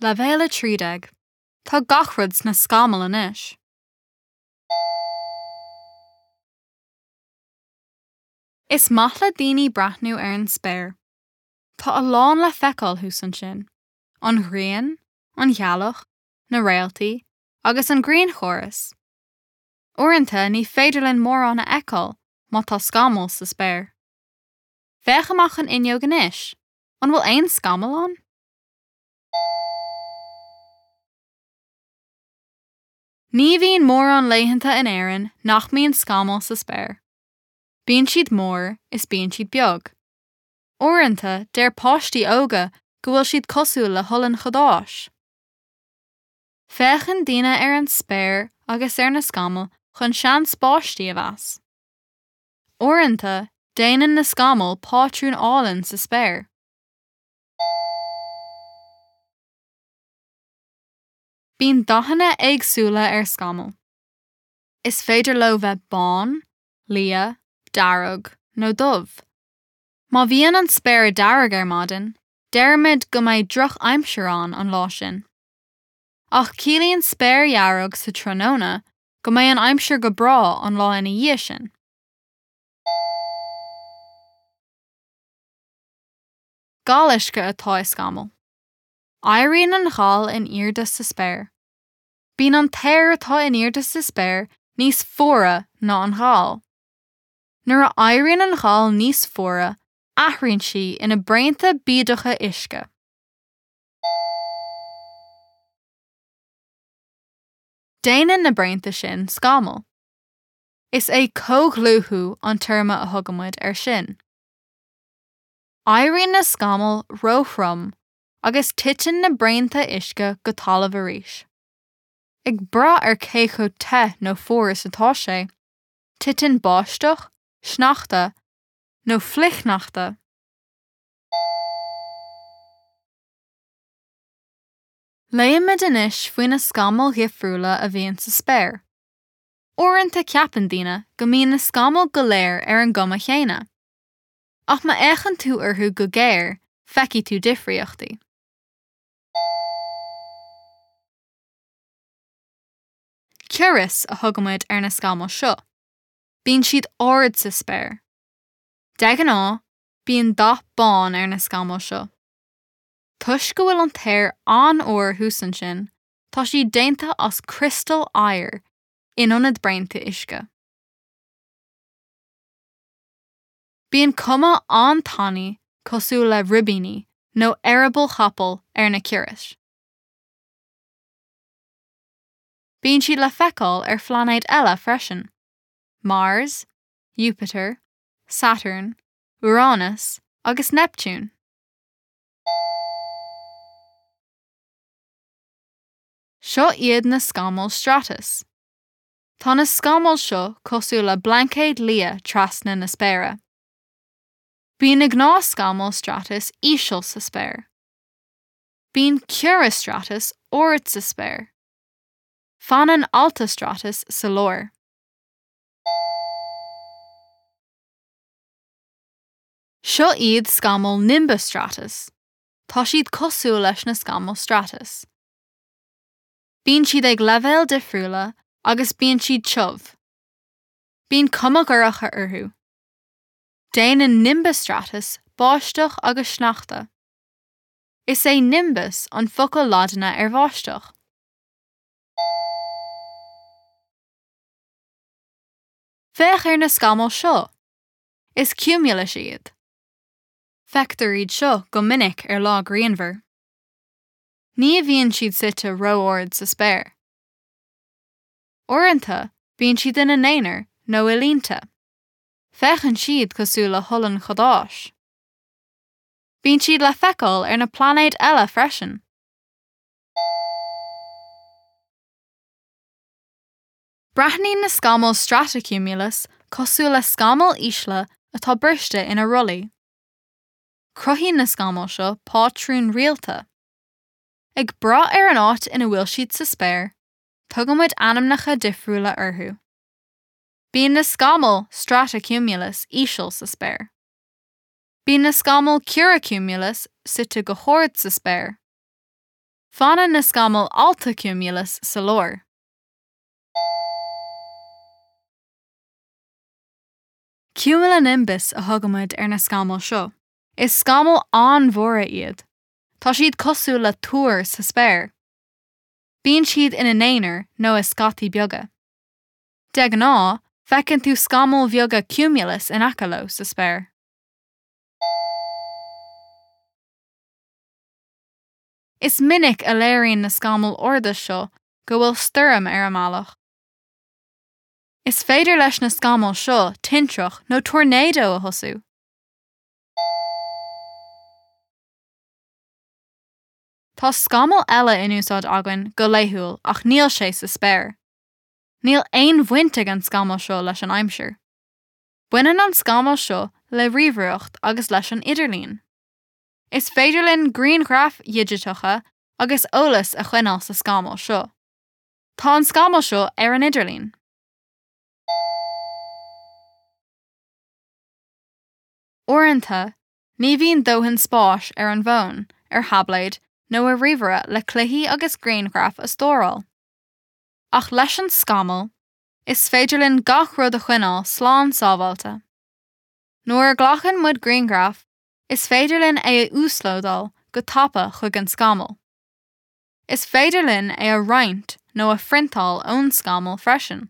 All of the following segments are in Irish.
Leibhéal 13, Tá gach rud sna scamaill anois. Is maith le daoine breathnú ar an spéir. Tá a lán le feiceáil thuas ansin, an ghrian, an ghealach, na réaltaí agus an grianchóras. Uaireanta ní féidir linn mórán a fheiceáil má tá scamaill sa spéir. Féach amach an fhuinneog anois, an bhfuil aon scamall ann? Ní bhíonn mórán laethanta in Éirinn nach mbíonn scamaill sa spéir. Bíonn siad mór is bíonn siad beag. Uaireanta, deir páistí óga go bhfuil siad cosúil le holann chadáis. Féachann daoine ar an spéir agus ar na scamaill chun seans báistí a mheas. Uaireanta, déanann na scamaill pátrún álainn sa spéir. Bíonn dathanna éagsúla ar scamaill. Is féidir leo bheith bán, liath, dearg nó dubh. Má bhíonn an spéir dearg ar maidin, deirimid go mbeidh drochaimsir ann an lá sin. Ach ciallaíonn spéir dhearg sa tráthnóna go mbeidh an aimsir go breá an lá ina dhiaidh sin. Gal uisce atá i scamall. Éiríonn an ghal in airde sa spéir. Bíonn an t-aer atá in airde sa spéir níos fuaire ná an ghal. Nuair a éiríonn an ghal níos fuaire, athraíonn sí ina braonta bídeacha uisce. Déanann na braonta sin scamall. Is é comhdhlúthú an téarma a thugaimid air sin. Éiríonn na scamaill róthrom agus titeann na braonta uisce go talamh arís. Ag brath ar cé chomh te nó fuar is atá sé, titeann báisteach, sneachta nó flichshneachta. Léifimid anois faoi na scamaill dhifriúla a bhíonn sa spéir. Uaireanta ceapann daoine go mbíonn na scamaill go léir ar an gcuma chéanna. Ach má fhéachann tú orthu go géar, feicfidh tú difríochtaí. Cirrus a thugaimid ar na scamaill seo. Bíonn siad ard sa spéir. De ghnáth, bíonn dath bán ar na scamaill seo. Toisc go bhfuil an t-aer an-fhuar thuas ansin, tá siad déanta as criostail oighir in ionad braonta uisce. Bíonn cuma an-tanaí cosúil le ribíní nó eireabaill chapaill ar na cirrus. Bíonn siad le feiceáil ar phláinéid eile freisin, Mars, Iúpatar, Satarn, Úránas agus Neiptiún. Seo iad na scamaill stratus. Tá na scamaill seo cosúil le blaincéad liath trasna na spéire. Bíonn na gnáthscamaill stratus íseal sa spéir. Bíonn cirrostratus ard sa spéir. Fanann altostratus sa lár. Seo iad scamaill nimbostratus. Tá siad cosúil leis na scamaill stratus. Bíonn siad ag leibhéil difriúla agus bíonn siad tiubh. Bíonn cuma dhorcha orthu. Déanann nimbostratus báisteach agus sneachta. Is é nimbus an focal Laidine ar bháisteach. Féach ar na scamaill seo! Is cumulus iad. Feictear iad seo go minic ar lá grianmhar. Ní bhíonn siad suite ró-ard sa spéir. Uaireanta, bíonn siad ina n-aonar nó i línte. Féachann siad cosúil le holann chadáis. Bíonn siad le feiceáil ar na pláinéid eile freisin. Breathnaíonn na scamaill stratocumulus cosúil le scamaill ísle atá briste ina rollaí. Cruthaíonn na scamaill seo pátrún rialta. Ag brath ar an áit ina bhfuil siad sa spéir, tugaimid ainmneacha difriúla orthu. Bíonn na scamaill stratocumulus íseal sa spéir. Bíonn na scamaill cirrocumulus suite go hard sa spéir. Fanann na scamaill altocumulus sa lár. Cumulonimbus a thugaimid ar na scamaill seo. Is scamaill an-mhóra iad. Tá siad cosúil le túir sa spéir. Bíonn siad ina n-aonar nó i scataí beaga. De ghnáth, feiceann tú scamaill bheaga cumulus in aice leo sa spéir. Is minic a léiríonn na scamaill arda seo go bhfuil stoirm ar an mbealach. Is féidir leis na scamaill seo tintreach nó tornádó a thosú. Tá scamall eile in úsáid againn go laethúil ach níl sé sa spéir. Níl aon bhaint ag an scamall seo leis an aimsir. Baineann an scamall seo le ríomhaireacht agus leis an idirlíon. Is féidir linn grianghraif dhigiteacha agus eolas a choinneáil sa scamall seo. Tá an scamall seo ar an idirlíon. Uaireanta, ní bhíonn dóthain spáis ar an bhfón, ar tháibléad nó ar ríomhaire le cluichí agus grianghraif a stóráil. Ach leis an scamall, is féidir linn gach rud a choinneáil slán sábháilte. Nuair a ghlacann muid grianghraf, is féidir linn é a uaslódáil go tapa chuig an scamall. Is féidir linn é a roinnt nó a phriontáil ón scamall freisin.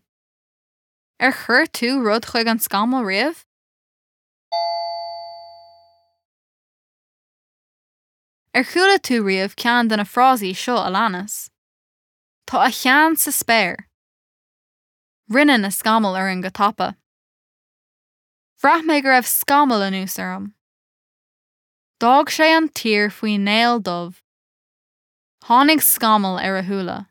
Ar chuir tú rud chuig an scamall riamh? Ar chuala tú riamh ceann de na frásaí seo a leanas? Tá a cheann sa spéir. Rinne na scamaill orainn go tapa. Bhraith mé go raibh scamall anuas orm. D'fhág sé an tír faoi néal dubh. Tháinig scamall ar a shúile.